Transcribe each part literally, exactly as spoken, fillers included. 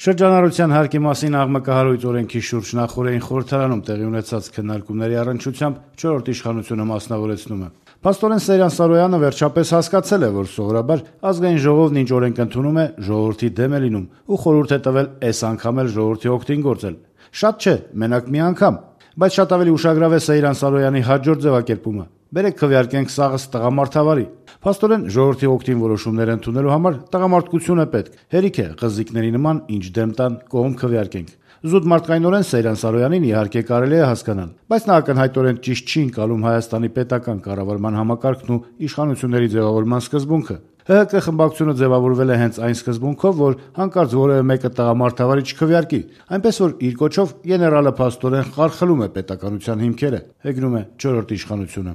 Շրջանառության հարկի մասին աղմկահարույց օրենքի շուրջ նախօրեին խորհրդարանում տեղի ունեցած քննարկումների առնչությամբ չորրորդ իշխանությունը մասնավորեցնում է. Փաստորեն Սեյրան Սարոյանը վերջապես հասկացել է, որ սովորաբար ազգային ժողովն ինչ օրենք ընդունում է, ժողովրդի դեմ է լինում ու խորհուրդ է տվել այս անգամ էլ ժողովրդի օգտին գործել։ Շատ չէ, մենակ մի անգամ, բայց շատ ավելի ուշագրավ է Սեյրան Սարոյանի հաջորդ ձևակերպումը. Բերեք քվեարկենք սաղս տղամարդավարի։ Փաստորեն ժողովրդի օգտին որոշումներ ընդունելու համար տղամարդկություն է պետք։ Հերիք է ղզիկների նման ինչ դեմ տան կողմ քվեարկենք։ Զուտ մարդկայնորեն Սեյրան Սարոյանին իհարկե կարելի է հասկանալ, բայց նա ակնհայտորեն ճիշտ չի ընկալում Հայաստանի պետական կառավարման համակարգն ու իշխանությունների ձևավորման սկզբունքը։ ՀՀԿ խմբակցությունը ձևավորվել է հենց այն սկզբունքով, որ հանկարծ որևէ մեկը տղամարդավարի չքվեարկի, այնպես որ իր կոչով գեներալը փաստորեն խարխլում է պետականության հիմքերը, հեգնում է չորրորդ իշխանությունը։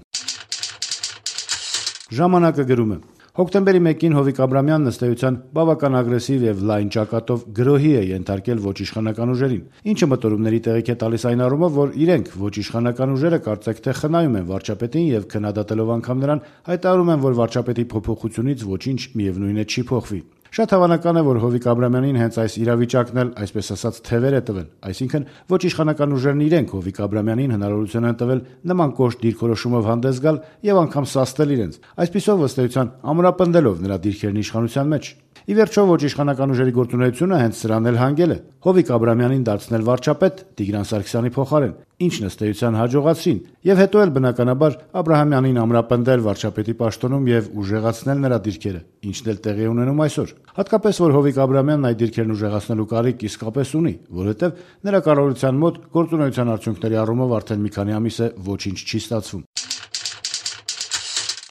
Ժամանակը գրում է. Հոկտեմբերի մեկին Հովիկ Աբրամյանն ըստ էության բավական ագրեսիվ եւ լայն ճակատով գրոհի է ենթարկել ոչ իշխանական ուժերին, ինչը մտորումների տեղիք է տալիս այն առումով, որ իրենք ոչ իշխանական ուժերը կարծեք թե խնայում են վարչապետին եւ քննադատելով անգամ նրան հայտարարում են, որ վարչապետի փոփոխությունից ոչինչ միևնույն է չի փոխվի։ Շատ հավանական է, որ Հովիկ Աբրամյանին հենց այս իրավիճակն էլ, այսպես ասած, թևեր է տվել, այսինքն ոչ իշխանական ուժերն իրենք Հովիկ Աբրամյանին հնարավորություն են տվել նման կոշտ դիրքորոշումով հանդես գալ եւ անգամ սաստել իրենց, այսպիսով ըստ էության ամրապնդելով նրա դիրքերն իշխանության մեջ։ Ի վերջո ոչ իշխանական ուժերի գործունեությունը հենց սրան էլ հանգել է՝ Հովիկ Աբրամյանին դարձնել վարչապետ Տիգրան Սարգսյանի փոխարեն, ինչն ըստ էության հաջողացրին, եւ հետո էլ բնականաբար Աբրահամյանին ամրապնդել վարչապետի պաշտոնում եւ ուժեղացնել նրա դիրքերը, ինչն էլ տեղի ունենում այսօր։ Հատկապես որ Հովիկ Աբրահամյանն այդ դիրքերն ուժեղացնելու կարիք իսկապես ունի, որովհետեւ նրա կառավարության մոտ գործունեության արդյունքների առումով արդեն մի քանի ամիս է ոչինչ չի ստացվում։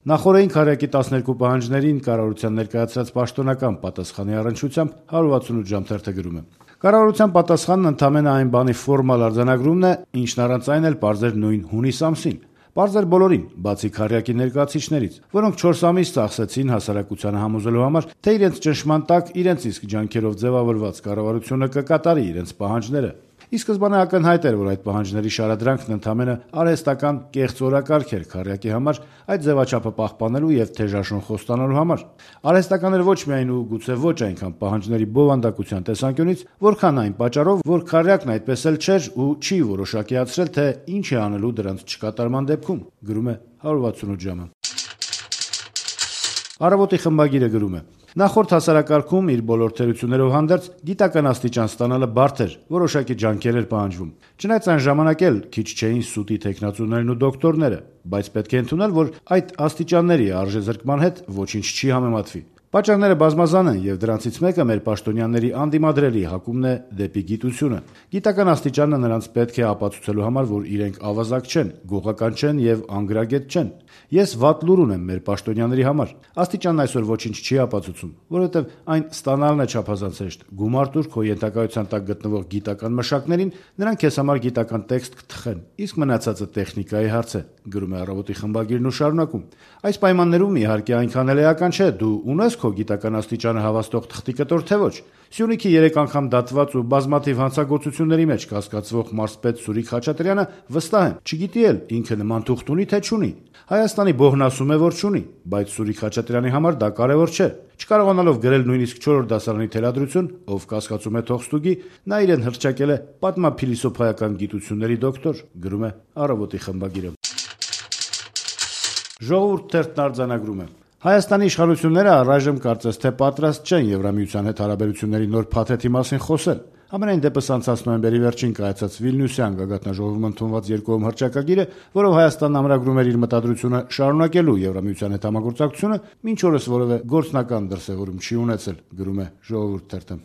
Նախորդին քարյակի տասներկու պահանջներին կառավարության ներկայացրած պաշտոնական պատասխանի առնչությամբ հարյուր ութսունութ ժամ թերթը գրում է. Կառավարության պատասխանն ընդամենը այն բանի ֆորմալ արձանագրումն է, ինչն առանց այն էլ պարզ էր նույն հունիս ամսին։ Պարզ էր բոլորին, բացի քարյակի ներկայացուցիչներից, որոնք չորս ամիս ծախսեցին հասարակությանը համոզելու համար, թե իրենց ճնշման տակ իրենց իսկ ջանքերով ձևավորված կառավարությունը կկատարի իրենց պահանջները։ Ի սկզբանե ակնհայտ էր, որ այդ պահանջների շարադրանքն ընդամենը արհեստական կեղծ օրակարգ էր քարյակի համար այդ ձևաչափը պահպանելու եւ թեժաշուն խոստանալու համար։ Արհեստական էր ոչ միայն ու գուցե ոչ այնքան պահանջների բովանդակության տեսանկյունից, որքան այն պատճառով, որ քարյակն այդպես էլ չէր ու չի որոշակիացրել, թե ինչ է անելու դրանց չկատարման դեպքում, գրում է հարյուր ութսունութ ժամը։ Առավոտի խմբագիրը գրում է. Նախորդ հասարակարգում իր բոլոր թերություններով հանդերձ գիտական աստիճան ստանալը բարդ էր, որոշակի ջանքեր էր պահանջվում։ Չնայած այն ժամանակ էլ քիչ չէին սուտի տեխնացուներն ու դոկտորները, բայց պետք է ընդունել, որ այդ աստիճանների արժեզրկման հետ ոչինչ չի համեմատվի։ Պատճառները բազմազան են եւ դրանցից մեկը մեր պաշտոնյաների անդիմադրելի հակումն է դեպի գիտությունը։ Գիտական աստիճանը նրանց պետք է ապացուցելու համար, որ իրենք ավազակ չեն, գողական չեն եւ անգրագետ չեն։ Ես վատ լուր ունեմ մեր պաշտոնյաների համար։ Աստիճանն այսօր ոչինչ չի ապացուցում, որովհետեւ այն ստանալն է չափազանց հեշտ։ Գումար տուր քո ենթակայության տակ գտնվող գիտական մշակներին, նրանք քեզ համար գիտական տեքստ կթխեն, իսկ մնացածը տեխնիկայի հարց է, գրում է Առավոտի խմբագիրն ու շարունակում. Այս պայմաններում իհարկե այնքան էլ էական չէ, դու ունես քո գիտական աստիճանը հավաստող թղթի կտոր թե ոչ։ Սյունիքի երեք անգամ դատված ու բազմաթիվ հանցագործությունների մեջ կասկածվող մարզպետ Սուրիկ Խաչատրյանը վստահ եմ, չգիտի էլ ինքը նման թուղթ ունի թե չունի։ Հայաստանի բոհն ասում է, որ չունի, բայց Սուրիկ Խաչատրյանի համար դա կարևոր չէ։ Չկարողանալով գրել նույնիսկ չորրորդ դասարանի թելադրություն, ով կասկածում է թողստուգի, նա իրեն հռչակել է պատմափիլիսոփայական գիտությունների դոկտոր, գրում է Առավոտի խմբագիրը։ Ժողովուրդ թերթն արձանագրում է. Հայաստանի իշխանությունները առայժմ կարծես թե պատրաստ չեն Եվրամիության հետ հարաբերությունների նոր փաթեթի մասին խոսել։ Համենայն դեպս անցած նոյեմբերի վերջին կայացած Վիլնյուսյան գագաթնաժողովում ընդունված երկկողմ հռչակագիրը, որով Հայաստանն ամրագրում էր իր մտադրությունը շարունակելու Եվրամիության հետ համագործակցությունը, մինչ օրս որևէ գործնական դրսևորում չի ունեցել, գրում է Ժողովուրդ թերթը։